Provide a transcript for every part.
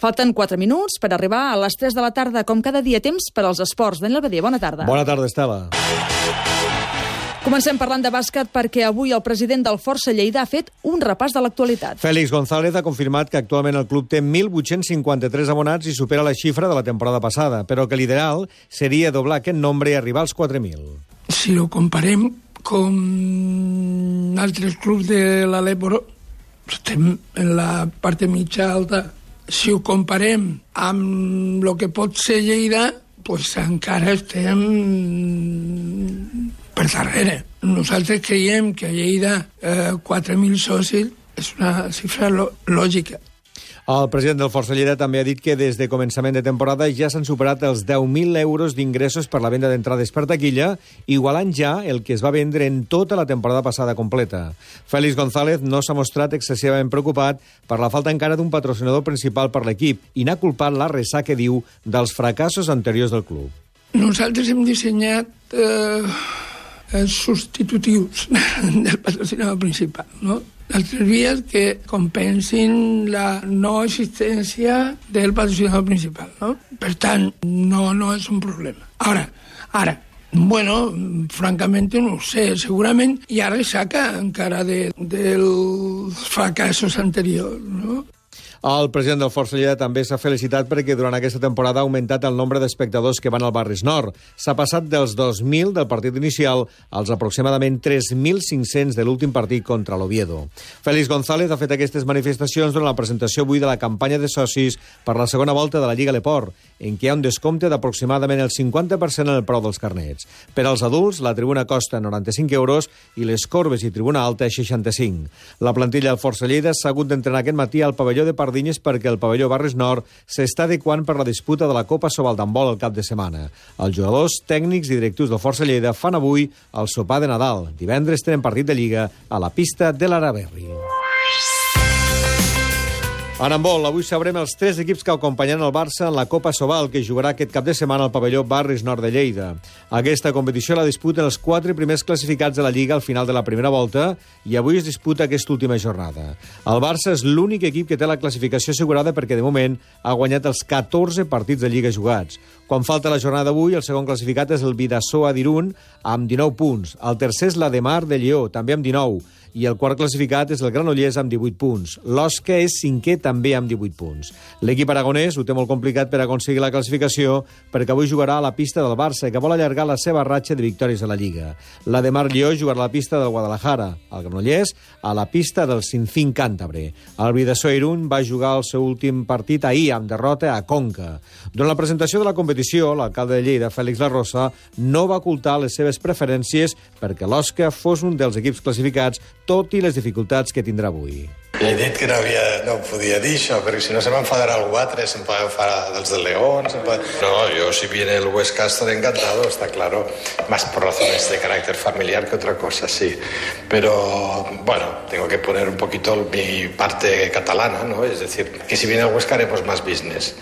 Falten 4 minuts per arribar a les 3 de la tarda, com cada dia, temps per als esports. Daniel Badia, bona tarda. Bona tarda, Estela. Comencem parlant de bàsquet perquè avui el president del Força Lleida ha fet un repàs de l'actualitat. Félix González ha confirmat que actualment el club té 1.853 abonats i supera la xifra de la temporada passada, però que l'ideal seria doblar aquest nombre i arribar als 4.000. Si lo comparem con altres clubs de l'Alep, estem en la part mitja alta. Si ho comparem amb el que pot ser Lleida, pues encara estem per darrere. Nosaltres creiem que a Lleida 4.000 socis és una xifra lògica. El president del Força Lleida també ha dit que des de començament de temporada ja s'han superat els 10.000 euros d'ingressos per la venda d'entrades per taquilla, igualant ja el que es va vendre en tota la temporada passada completa. Félix González no s'ha mostrat excessivament preocupat per la falta encara d'un patrocinador principal per l'equip i n'ha culpat la ressaca, diu, dels fracassos anteriors del club. Nosaltres hem dissenyat substitutius del patrocinador principal, no? Altres vies que compensin la no existència del patrocinador principal, no? Per tant, no és un problema. Ara, bueno, francament no ho sé, segurament hi ha ressaca encara dels fracassos anteriors, no? El president del Força Lleida també s'ha felicitat perquè durant aquesta temporada ha augmentat el nombre d'espectadors que van al Barris Nord. S'ha passat dels 2.000 del partit inicial als aproximadament 3.500 de l'últim partit contra l'Oviedo. Félix González ha fet aquestes manifestacions durant la presentació avui de la campanya de socis per la segona volta de la Lliga Leport, en què hi ha un descompte d'aproximadament el 50% en el preu dels carnets. Per als adults, la tribuna costa 95 euros i les corbes i tribuna alta 65. La plantilla del Força Lleida s'ha hagut d'entrenar aquest matí al pavelló de Pardinyes perquè el pavelló Barris Nord s'està adequant per la disputa de la Copa Sobal d'handbol el cap de setmana. Els jugadors, tècnics i directius del Força Lleida fan avui el sopar de Nadal. Divendres tenen partit de Lliga a la pista de l'Araberri. En handbol, avui sabrem els 3 equips que acompanyen el Barça en la Copa Sobal, que jugarà aquest cap de setmana al pavelló Barris Nord de Lleida. Aquesta competició la disputen els 4 primers classificats de la Lliga al final de la primera volta i avui es disputa aquesta última jornada. El Barça és l'únic equip que té la classificació assegurada perquè, de moment, ha guanyat els 14 partits de Lliga jugats. Quan falta la jornada d'avui, el segon classificat és el Bidasoa d'Irun, amb 19 punts. El tercer és l'Ademar de Lleó, també amb 19. I el quart classificat és el Granollers amb 18 punts. L'Osca és 5è també amb 18 punts. L'equip aragonès ho té molt complicat per aconseguir la classificació perquè avui jugarà a la pista del Barça, que vol allargar la seva ratxa de victòries a la Lliga. La de Mar Lleó jugarà a la pista del Guadalajara, el Granollers a la pista del Sinfín Càntabre. El Bidasoa Irún va jugar el seu últim partit ahir amb derrota a Conca. Durant la presentació de la competició, l'alcalde de Lleida, Félix La Rosa, no va ocultar les seves preferències perquè l'Osca fos un dels equips classificats, tot i les dificultats que tindrà avui. Li he dit que no podia dir això, perquè si no se m'enfadarà algú altre, se'm pot enfadar dels del León... No, yo si viene el Huesca estaré encantado, está claro, más por razones de carácter familiar que otra cosa, sí. Pero, bueno, tengo que poner un poquito mi parte catalana, ¿no? Es decir, que si viene el Huesca haremos más business.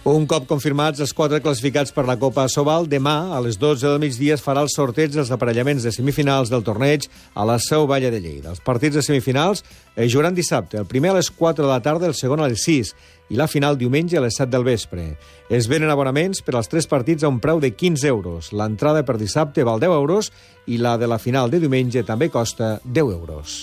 Un cop confirmats els 4 classificats per la Copa Sobal, demà, a les 12 del migdia, es farà el sorteig dels aparellaments de semifinals del torneig a la Seu Valla de Lleida. Els partits de semifinals es jugaran dissabte, el primer a les 4 de la tarda, el segon a les 6, i la final diumenge a les 7 del vespre. Es venen abonaments per als 3 partits a un preu de 15 euros. L'entrada per dissabte val 10 euros i la de la final de diumenge també costa 10 euros.